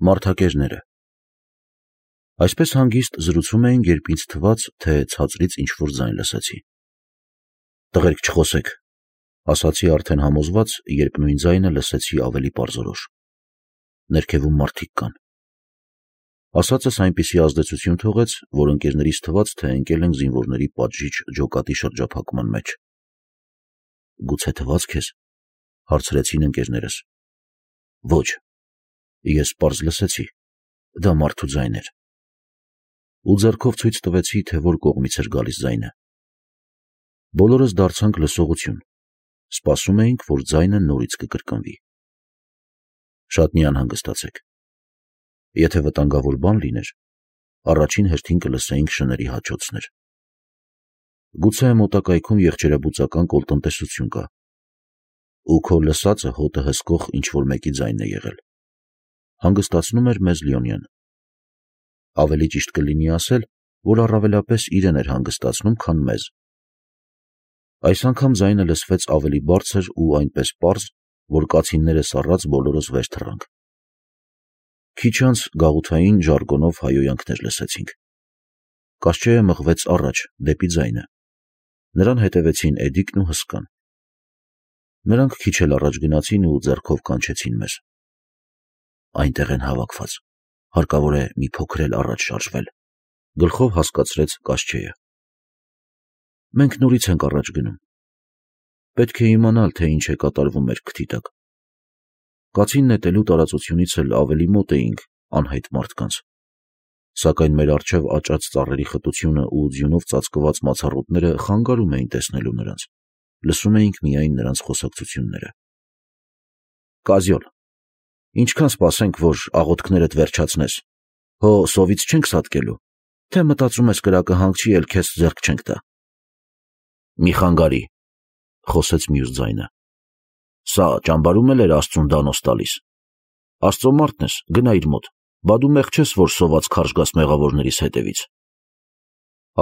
Մարդակերները։ Այսպես հանգիստ զրուցում էին, երբ ինձ թվաց, թե ցածրից ինչ-որ ձայն լսեցի։ «Տղերք, չխոսեք», ասացի արդեն համոզված, երբ նույն ձայնը լսեցի ավելի պարզորոշ։ «Ներքևում մարդիկ կան»։ Ասածս այնպիսի ազդեցություն թողեց, որ ընկերներից թվաց, թե ընկել ենք զինվորների պատժիչ ջոկատի շրջափակման մեջ։ «Գուցե թվաց քեզ», հարցրեցին ընկերներս։ «Ոչ, ես պարզ լսեցի, դա մարդու ձայն էր»։ Ու ձեռքով ցույց տվեցի, թե որ կողմից էր գալիս ձայնը։ Բոլորս դարձանք լսողություն, սպասում էինք, որ ձայնը նորից կկրկնվի։ «Շատ մի անհանգստացեք. եթե վտանգավոր բան լիներ, առաջին հերթին կլսեինք շների հաչոցներ։ Գուցե մոտակայքում եղջերաբուծական կոլտնտեսություն կա, ու քո լսածը հոտը հսկող ինչ-որ մեկի ձայնն է եղել», հանգստացնում էր մեզ Լիոնյան։ Ավելի ճիշտ կլինի ասել, որ առավելապես իրեն էր հանգստացնում, քան մեզ։ Այս անգամ ձայնը լսվեց ավելի բարձր ու այնպես պարզ, որ կացինները սառած բոլորս վեր թռանք։ Քիչ անց գաղութային ժարգոնով հայհոյանքներ լսեցինք։ Կասչեյը մղվեց առաջ, դեպի ձայնը։ Նրան հետևեցին Էդիկն ու Հսկան։ Նրանք քիչ էլ առաջ գնացին ու ձեռքով կանչեցին մեզ։ «Այնտեղ են հավաքված, հարկավոր է մի փոքր էլ առաջ շարժվել», գլխով հասկացրեց Կասչեյը։ «Մենք նորից ենք առաջ գնում։ Պետք է իմանալ, թե ինչ է կատարվում մեր քթի տակ»։ Կացին նետելու տարածությունից էլ ավելի մոտ էինք անհայտ մարդկանց, սակայն մեր առջև աճած ծառերի խտությունը ու ձյունով ծածկված մացառոտները խանգարում էին տեսնելու նրանց, լսում էինք միայն նրանց խոսակցությունները։ «Կազյոլ, ինչքան սպասենք, որ աղոթքներդ վերջացնես, հո սովից չենք սատկելու, թե մտածում ես կրակը հանգչի, էլ քեզ ձեռք չենք տա»։ «Մի խանգարի», խոսեց մյուս ձայնը։ «Սա ճամբարում էլ էր Աստծուն դանոց տալիս։ Աստծո մարդն ես, գնա իր մոտ, բա դու մեղ չես, որ սոված քարշ գաս մեղավորներիս հետևից»։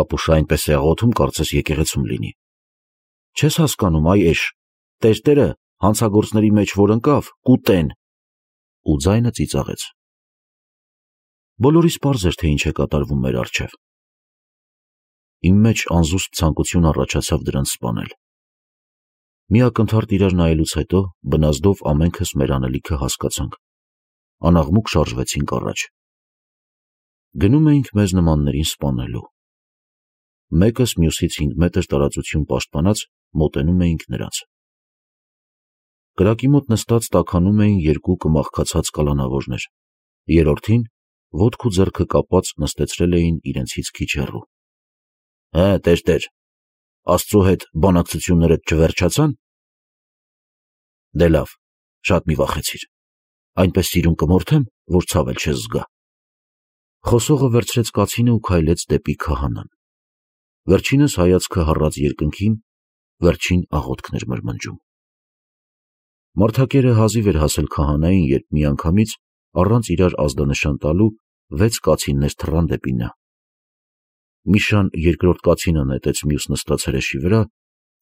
«Ապուշ այնպես է աղոթում, կարծես եկեղեցում լինի։ Չես հասկանում, այ էշ, տերտերը հանցագործների մեջ որ ընկավ, կուտեն»։ Ու ձայնը ծիծաղեց։ Բոլորիս պարզ էր, թե ինչ է կատարվում մեր առջև։ Իմ մեջ անզուսպ ցանկություն առաջացավ դրանց սպանել։ Մի ակնթարթ իրար նայելուց հետո բնազդով ամենքս մեր անելիքը հասկացանք, անաղմուկ շարժվեցինք առաջ։ Գնում էինք մեզ նմաններին սպանելու։ Մեկս մյուսից 5 մետր տարածություն պաշտպանած մոտենում էինք նրանց։ Կրակի մոտ նստած տաքանում էին 2 կմախքացած կալանավորներ, երրորդին ոտք ու ձեռքը կապած նստեցրել էին իրենցից քիչ հեռու։ «Հե, տեր, Աստծո հետ բանակցություններդ չվերջացան»։ «Դե լավ, շատ մի վախեցիր, այնպես սիրուն կմորթեմ, որ ցավ էլ չես զգա»։ Խոսողը վերցրեց կացինը ու քայլեց դեպի քահանան։ Վերջինս հայացքը հառած երկնքին, վերջին աղոթքն էր մրմնջում։ Մարդակերը հազիվ էր հասել քահանային, երբ միանգամից, առանց իրար ազդանշան տալու, 6 կացիններ թռան դեպի նա։ Միշան երկրորդ կացինը նետեց մյուս նստած հրեշի վրա,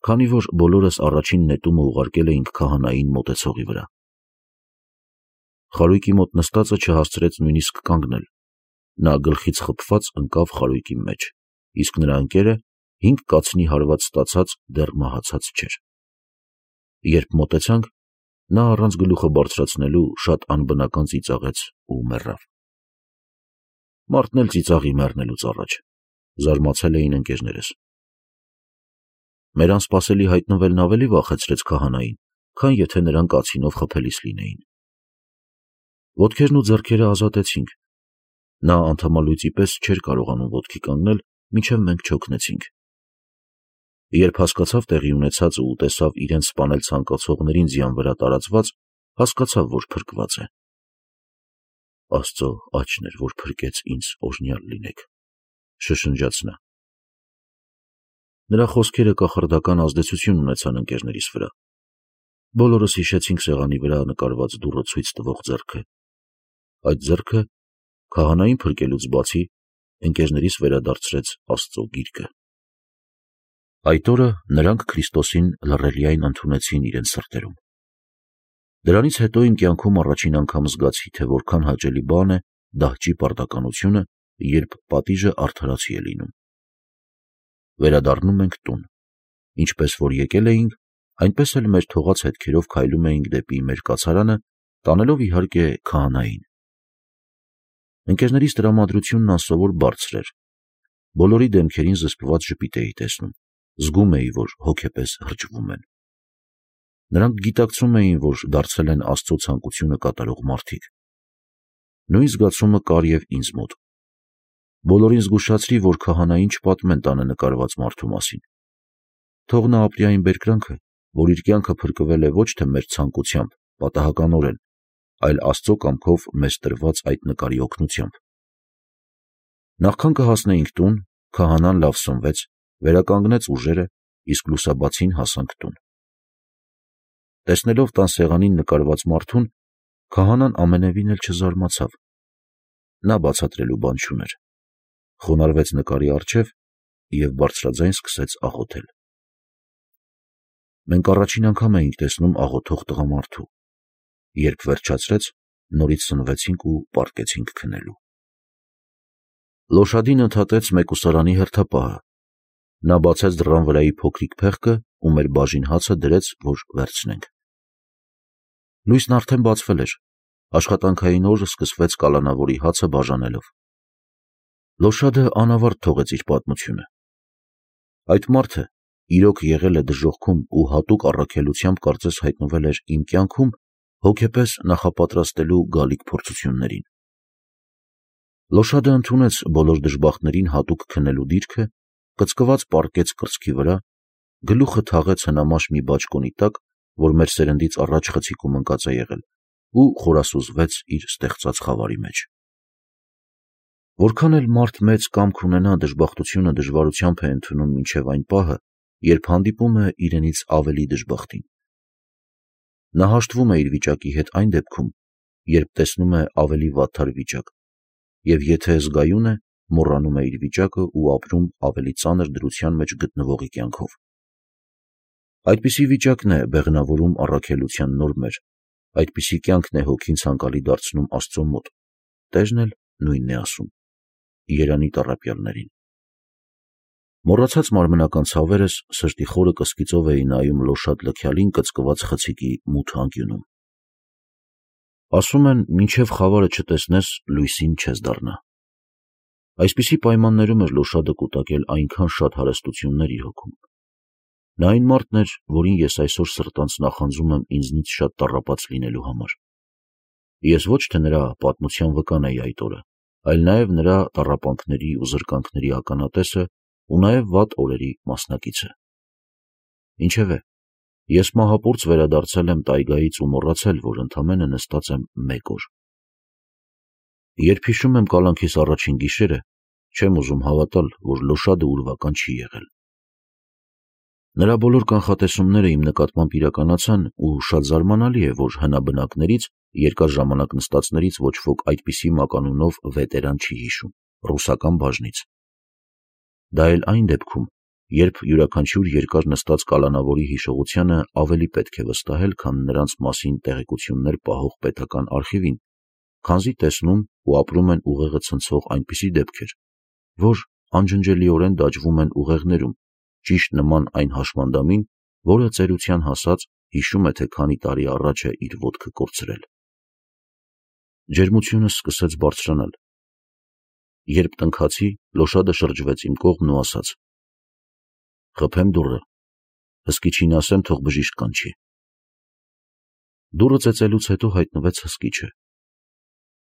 քանի որ բոլորս առաջին նետումը ուղարկել էինք քահանային մոտեցողի վրա։ Խարույկի մոտ նստածը չհասցրեց նույնիսկ կանգնել։ Նա գլխից խփված ընկավ խարույկի մեջ, իսկ նրա ընկերը 5 կացնի հարված ստացած դեռ մահացած չէր։ Երբ մոտեցանք, նա առանց գլուխը բարձրացնելու շատ անբնական ծիծաղեց ու մեռավ։ Մարդն էլ ծիծաղի մեռնելուց առաջ, զարմացել էին ընկերներս։ Մեր անսպասելի հայտնվելն ավելի վախեցրեց քահանային, քան եթե նրան կացինով խփելիս լինեին։ Ոտքերն ու ձեռքերը ազատեցինք։ Նա անդամալույծի պես չէր կարողանում ոտքի կանգնել, մինչև մենք չօգնեցինք։ Երբ հասկացավ տեղի ունեցածը ու տեսավ իրեն սպանել ցանկացողներին ձյան վրա տարածված, հասկացավ, որ փրկված է։ «Աստծո աջն էր, որ փրկեց ինձ, օրհնյալ լինեք», շշնջաց նա։ Նրա խոսքերը կախարդական ազդեցություն ունեցան ընկերներիս վրա։ Բոլորս հիշեցինք սեղանի վրա նկարված դուռը ցույց տվող ձեռքը։ Այդ ձեռքը քահանային փրկելուց բացի ընկերներիս վերադարձրեց Աստծո գիրկը։ Այդ օրը նրանք Քրիստոսին լռելիայն ընդունեցին իրենց սրտերում։ Դրանից հետո իմ կյանքում առաջին անգամ զգացի, թե որքան հաճելի բան է դահճի պարտականությունը, երբ պատիժը արդարացի է լինում։ Վերադառնում ենք տուն։ Ինչպես որ եկել էինք, այնպես էլ մեր թողած հետքերով քայլում էինք դեպի մեր կացարանը, տանելով իհարկե քահանային։ Ընկերներիս տրամադրությունն անսովոր բարձր էր։ Բոլորի դեմքերին զսպված ժպիտ էի տեսնում, զգում էի, որ հոգեպես հրճվում են։ Նրանք գիտակցում էին, որ դարձել են Աստծո ցանկությունը կատարող մարդիկ։ Նույն զգացումը կար և ինձ մոտ։ Բոլորին զգուշացրի, որ քահանային չպատմեն տանը նկարված մարդու մասին։ Թող նա ապրի այն բերկրանքը, որ իր կյանքը փրկվել է ոչ թե մեր ցանկությամբ, պատահականորեն, այլ Աստծո կամքով մեզ տրված այդ նկարի օգնությամբ։ Նախքան կհասնեինք տուն, քահանան լավ սնվեց, վերականգնեց ուժերը, իսկ լուսաբացին հասանք տուն։ Տեսնելով տան սեղանին նկարված մարդուն, քահանան ամենևին էլ չզարմացավ։ Նա բացատրելու բան չուներ։ Խոնարհվեց նկարի առջև և բարձրաձայն սկսեց աղոթել։ Մենք առաջին անգամ էինք տեսնում աղոթող տղամարդու։ Երբ վերջացրեց, նորից սնվեցինք ու պառկեցինք քնելու։ Լոշադին ընդհատեց մեկուսարանի հերթապահը։ Նա բացեց դռան վրայի փոքրիկ փեղկը ու մեր բաժին հացը դրեց, որ վերցնենք։ Լույսն արդեն բացվել էր։ Աշխատանքային օրը սկսվեց կալանավորի հացը բաժանելով։ Լոշադը անավարտ թողեց իր պատմությունը։ Այդ մարդը իրոք եղել է դժոխքում ու հատուկ առաքելությամբ կարծես հայտնվել էր իմ կյանքում հոգեպես նախապատրաստելու գալիք փորձություններին։ Լոշադը ընդունեց բոլոր դժբախտներին հատուկ քնելու դիրքը, կծկված պառկեց կրծքի վրա, գլուխը թաղեց հնամաշ մի բաճկոնի տակ, որ մեր սերնդից առաջ խցիկում ընկած է եղել, ու խորասուզվեց իր ստեղծած խավարի մեջ։ Որքան էլ մարդ մեծ կամք ունենա, դժբախտությունը դժվարությամբ է ընդունում մինչև այն պահը, երբ հանդիպում է իրենից ավելի դժբախտին։ Նա հաշտվում է իր վիճակի հետ այն դեպքում, երբ տեսնում է ավելի վատթար վիճակ, և եթե զգայուն է, մոռանում է իր վիճակը ու ապրում ավելի ծանր դրության մեջ գտնվողի կյանքով։ Այդպիսի վիճակն է բեղնավորում առաքելության նորմեր, այդպիսի կյանքն է հոգին ցանկալի դարձնում Աստծո մոտ։ Տերն էլ նույնն է ասում։ Երանի Տառապյալներին։ Մոռացած մարմնական ցավերս սրտի խորը կսկիծով էի նայում Լոշադ լքյալին կծկված խցիկի մութ անկյունում։ Ասում են, մինչև խավարը չտեսնես, լույսին չես դառնա։ Այսպիսի պայմաններում էր Լոշադը կուտակել այնքան շատ հարստություններ իր հոգում։ Նա այն մարդն էր, որին ես այսօր սրտանց նախանձում եմ ինձնից շատ տառապած լինելու համար։ Ես ոչ թե նրա պատմության վկան էի այդ օրը, այլ նաև նրա տառապանքների ու զրկանքների ականատեսը ու նաև վատ օրերի մասնակիցը։ Ինչևէ, ես մահապուրծ վերադարձել եմ տայգայից ու մոռացել, որ ընդամենը նստած եմ 1 օր։ Երբ հիշում եմ կալանքիս առաջին գիշերը, չեմ ուզում հավատալ, որ Լոշադը ուրվական չի եղել։ Նրա բոլոր կանխատեսումները իմ նկատմամբ իրականացան ու շատ զարմանալի է, որ հնաբնակներից, երկար ժամանակ նստածներից ոչ ոք այդպիսի մականունով վետերան չի հիշում, ռուսական բաժնից։ Դա էլ այն դեպքում, երբ յուրաքանչյուր երկար նստած կալանավորի հիշողությանը ավելի պետք է վստահել, քան նրանց մասին տեղեկություններ պահող պետական արխիվին, քանզի տեսնում ու ապրում են ուղեղը ցնցող այնպիսի դեպքեր, որ անջնջելիորեն դաջվում են ուղեղներում, ճիշտ նման այն հաշմանդամին, որը ծերության հասած հիշում է, թե քանի տարի առաջ է իր ոտքը կորցրել։ Ջերմությունս սկսեց բարձրանալ։ Երբ տնքացի, Լոշադը շրջվեց իմ կողմն ու ասաց. «Խփեմ դուռը, հսկիչին ասեմ, թող բժիշկ կանչի»։ Դուռը ծեծելուց հետո հայտնվեց հսկիչը։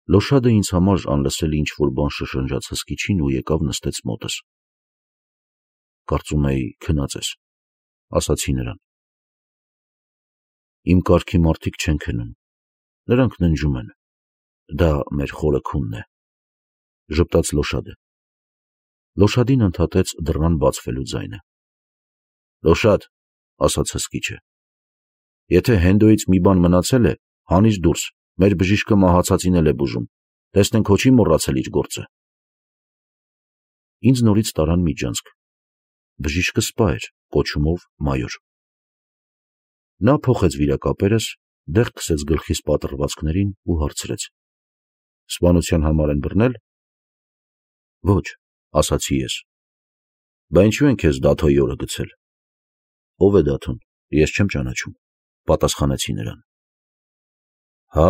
Լոշադը ինձ համար անլսելի ինչ-որ բան շշնջաց հսկիչին ու եկավ նստեց մոտս։ «Կարծում էի քնած ես», ասացի նրան։ «Իմ կարգի մարդիկ չեն քնում, նրանք ննջում են, դա մեր խորը քունն է», ժպտաց Լոշադը։ Լոշադին ընդհատեց դռան բացվելու ձայնը։ «Լոշադ», ասաց հսկիչը, «եթե Հենդոյից մի բան մնացել է, հանիր դուրս, մեր բժիշկը մահացածին էլ է բուժում, տեսնենք հո չի մոռացել իր գործը»։ Ինձ նորից տարան միջանցք։ Բժիշկը սպա էր, կոչումով մայոր։ Նա փոխեց վիրակապերս, դեղ քսեց գլխիս պատռվածքներին ու հարցրեց. «Սպանության համար են բռնել»։ «Ոչ», ասացի ես։ «Բա ինչու են քեզ Դաթոյի օրը գցել»։ «Ով է Դաթոն, ես չեմ ճանաչում», պատասխանեցի նրան։ «Հա,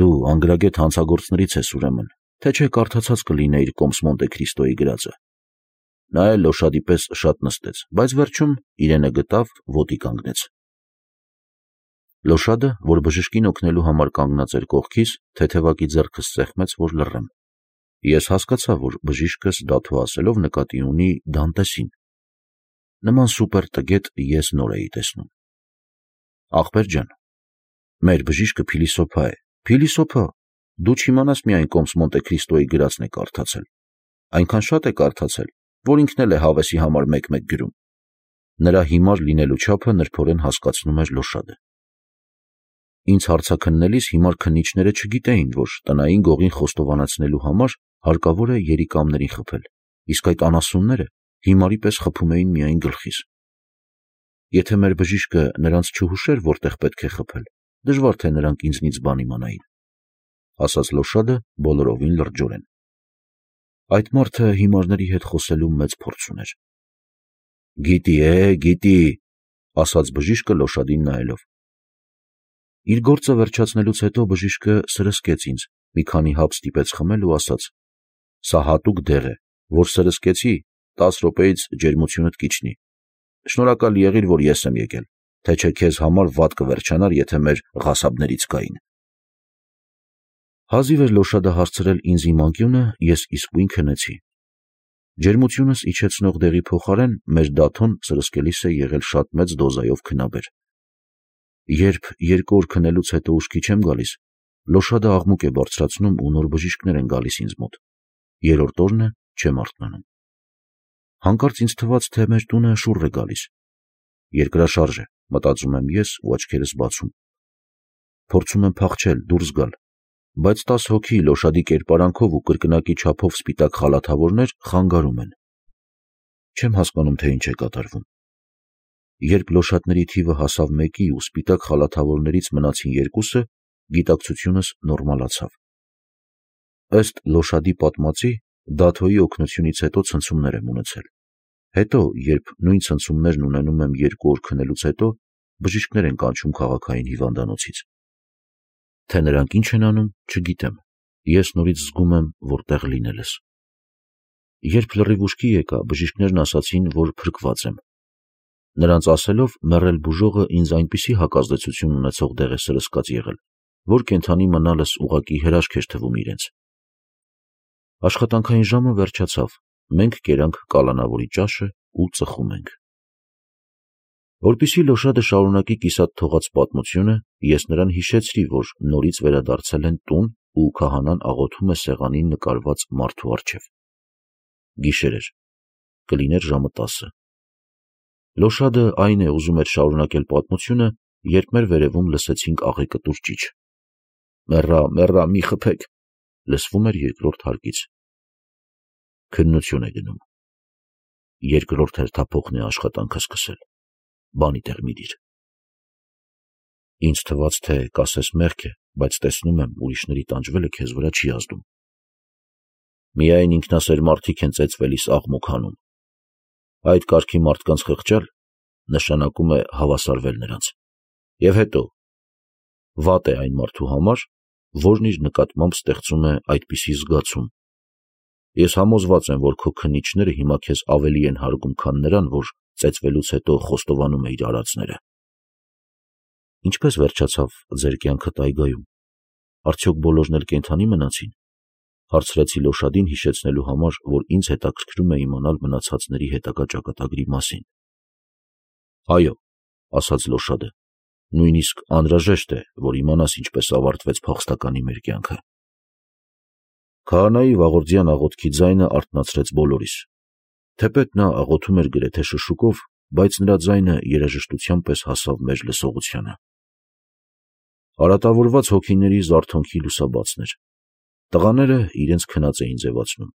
դու անգրագետ հանցագործներից ես ուրեմն, թե չէ կարդացած կլինեիր Կոմս Մոնտե Քրիստոյի գրածը»։ Նա էլ լոշադի պես շատ նստեց, բայց վերջում իրենը գտավ, ոտի կանգնեց։ Լոշադը, որ բժշկին օգնելու համար կանգնած էր կողքիս, թեթևակի ձեռքս սեղմեց, որ լռեմ։ Ես հասկացա, որ բժիշկս Դաթո ասելով նկատի ունի Դանտեսին։ Նման սուպեր տգետ ես նոր էի տեսնում։ «Ախպեր ջան, մեր բժիշկը փիլիսոփա է»։ «Փիլիսոփա, դու չիմանաս միայն Կոմս Մոնտե Քրիստոյի գրածն է կարդացել։ Այնքան շատ է կարդացել, որ ինքն էլ է հավեսի համար մեկ-մեկ գրում»։ Նրա հիմար լինելու չափը նրբորեն հասկացնում էր Լոշադը։ Ինձ հարցաքննելիս հիմար քննիչները չգիտեին, որ տնային գողին խոստովանացնելու համար հարկավոր է երիկամներին խփել, իսկ այդ անասունները հիմարի պես խփում էին միայն գլխիս։ Եթե մեր բժիշկը նրանց չհուշեր, որտեղ պետք է խփել, դժվար թե նրանք ինձնից բան իմանային, ասաց Լոշադը բոլորովին լրջորեն։ Այդ մարդը հիմարների հետ խոսելու մեծ փորձ ուներ։ Գիտի, ասաց բժիշկը Լոշադին նայելով։ Իր գործը վերջացնելուց հետո բժիշկը սրսկեց ինձ, մի քանի հապ ստիպեց խմել ու ասաց. «Սա հատուկ դեղ է, որ սրսկեցի, 10 րոպեից ջերմությունդ կիջնի։ Շնորհակալ եղիր, որ ես եմ եկել, թե չէ քեզ համար վատ կվերջանար, եթե մեր ղասաբներից կային»։ Հազիվ էր Լոշադը հարցրել ինձ իմ անկյունը, ես իսկույն քնեցի։ Ջերմությունս իջեցնող դեղի փոխարեն մեր Դաթոն սրսկելիս է եղել շատ մեծ դոզայով քնաբեր։ Երբ 2 օր քնելուց հետո ուշքի չեմ գալիս, Լոշադը աղմուկ է բարձրացնում ու նոր բժիշկներ են գալիս ինձ մոտ։ 3-րդ օրն է, չեմ արթնանում։ Հանկարծ ինձ թվաց, թե մեր տունը շուռ է գալիս։ Երկրաշարժ է, մտածում եմ ես ու աչքերս բացում։ Փորձում եմ փախչել, դուրս գալ, բայց 10 հոգի Լոշադի կերպարանքով ու կրկնակի չափով սպիտակ խալաթավորներ խանգարում են։ Չեմ հասկանում, թե ինչ է կատարվում։ Երբ լոշատների թիվը հասավ 1-ի ու սպիտակ խալաթավորներից մնացին 2-ը, գիտակցությունս նորմալացավ։ Ըստ Լոշադի պատմածի, Դաթոյի օգնությունից հետո ցնցումներ եմ ունեցել։ Հետո, երբ նույն ցնցումներն ունենում եմ 2 օր քնելուց հետո, բժիշկներ են կանչում քաղաքային հիվանդանոցից։ Թե նրանք ինչ են անում, չգիտեմ։ Ես նորից զգում եմ, որ տեղ լինելս։ Երբ լրիվ ուշքի եկա, բժիշկներն ասացին, որ փրկված եմ։ Նրանց ասելով, մեռել բուժողը ինձ այնպիսի հակազդեցություն ունեցող դեղ է սրսկած եղել, որ կենդանի մնալս ուղղակի հրաշք էր թվում իրենց։ Աշխատանքային ժամը վերջացավ, մենք կերանք կալանավորի ճաշը ու ծխում ենք։ Որպեսզի Լոշադը շարունակի կիսատ թողած պատմությունը, ես նրան հիշեցրի, որ նորից վերադարձել են տուն ու քահանան աղոթում է սեղանին նկարված մարդու առջև։ Գիշեր էր, կլիներ ժամը 10։ Լոշադը այն է ուզում էր շարունակել պատմությունը, երբ մեր վերևում լսեցինք աղեկտուր ճիչ։ Մեռա, մի խփեք, լսվում էր երկրորդ հարկից։ Քննություն է գնում։ Երկրորդ հերթափոխն է աշխատանքը սկսել։ Բանի տեղ մի դիր։ Ինձ թվաց, թե կասես մեղք է, բայց տեսնում եմ, ուրիշների տանջվելը քեզ վրա չի ազդում։ Միայն ինքնասեր մարդիկ են ծեծվելիս աղմուկ հանում։ Այդ կարգի մարդկանց խղճալ նշանակում է հավասարվել նրանց։ Եվ հետո, վատ է այն մարդու համար, որն իր նկատմամբ ստեղծում է այդպիսի զգացում։ Ես համոզված եմ, որ քո քննիչները հիմա քեզ ավելի են հարգում, քան նրան, որ ծեծվելուց հետո խոստովանում է իր արածները։ Ինչպես վերջացավ ձեր կյանքը տայգայում։ Արդյոք բոլորն էլ կենդանի մնացին։ Հարցրեցի Լոշադին հիշեցնելու համար, որ ինձ հետաքրքրում է իմանալ մնացածների հետագա ճակատագրի մասին։ Այո, ասաց Լոշադը, նույնիսկ անհրաժեշտ է, որ իմանաս ինչպես ավարտվեց փախստականի մեր կյանքը։ Քահանայի վաղորդյան աղոթքի ձայնը արթնացրեց բոլորիս։ Թեպետ նա աղոթում էր գրեթե շշուկով, բայց նրա ձայնը երաժշտության պես հասավ մեր լսողությանը։ Արատավորված հոգիների զարթոնքի լուսաբացն էր։ Տղաները իրենց քնած էին ձևացնում։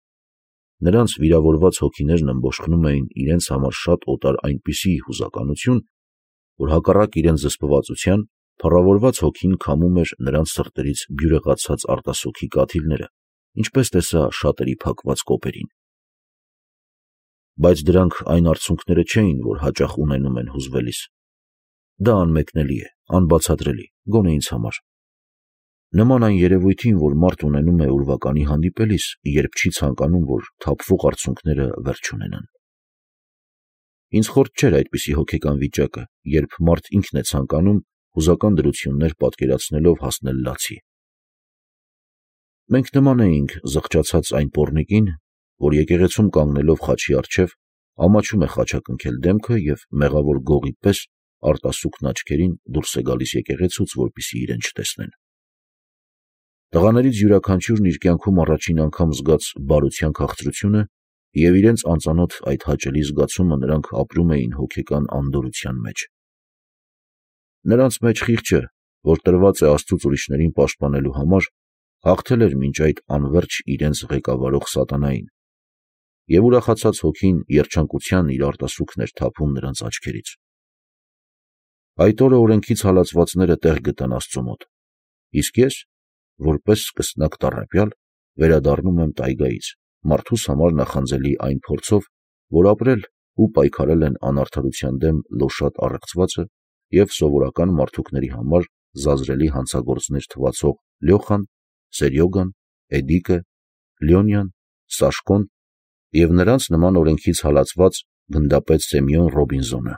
Նրանց վիրավորված հոգիներն ըմբոշխնում էին իրենց համար շատ օտար այնպիսի հուզականություն, որ հակառակ իրենց զսպվածության Փառավորված հոգին քամում էր նրանց սրտերից բյուրեղացած արտասուքի կաթիլները, ինչպես տեսա շատերի փակված կոպերին։ Բայց դրանք այն արցունքները չէին, որ հաճախ ունենում են հուզվելիս։ Դա անմեկնելի է, անբացատրելի, գոնե ինձ համար։ Նման այն երևույթին, որ մարդ ունենում է ուրվականի հանդիպելիս, երբ չի ցանկանում, որ թափվող արցունքները վերջ ունենան։ Ինձ խորտ չէր այդպիսի հոգեկան վիճակը, երբ մարդ ինքն է ցանկանում հուզական դրություններ պատկերացնելով հասնել լացի։ Մենք նման էինք զղջացած այն պոռնիկին, որ եկեղեցում կանգնելով խաչի առջև ամաչում է խաչակնքել դեմքը և մեղավոր գողի պես արտասուքն աչքերին դուրս է գալիս եկեղեցուց, որպեսզի իրեն չտեսնեն։ Տղաներից յուրաքանչյուրն իր կյանքում առաջին անգամ զգաց բարության քաղցրությունը և իրենց անծանոթ այդ հաճելի զգացումը նրանք ապրում էին հոգեկան անդորրության մեջ։ Նրանց մեջ խիղճը, որ տրված է Աստծուց ուրիշներին պաշտպանելու համար, հաղթել էր մինչ այդ անվերջ իրենց ղեկավարող սատանային, և ուրախացած հոգին երջանկության իր արտասուքն էր թափում նրանց աչքերից։ Այդ օրը օրենքից հալածվածները տեղ գտան Աստծու մոտ, իսկ ես, որպես սկսնակ տառապյալ, վերադառնում եմ տայգայից, մարդուս համար նախանձելի այն փորձով, որ ապրել ու պայքարել են անարդարության դեմ լոշատ առեղծվածը և սովորական մարդուկների համար զազրելի հանցագործներ թվացող Լյոխան, Սերյոգան, Էդիկը, Լյոնյան, Սաշկոն և նրանց նման օրենքից հալածված գնդապետ Սեմյոն Ռոբինզոնը։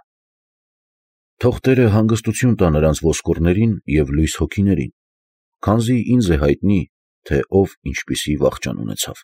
Թող Տերը հանգստություն տա նրանց ոսկորներին և լույս հոգիներին, քանզի ինձ է հայտնի, թե ով ինչպիսի վախճան ունեցավ։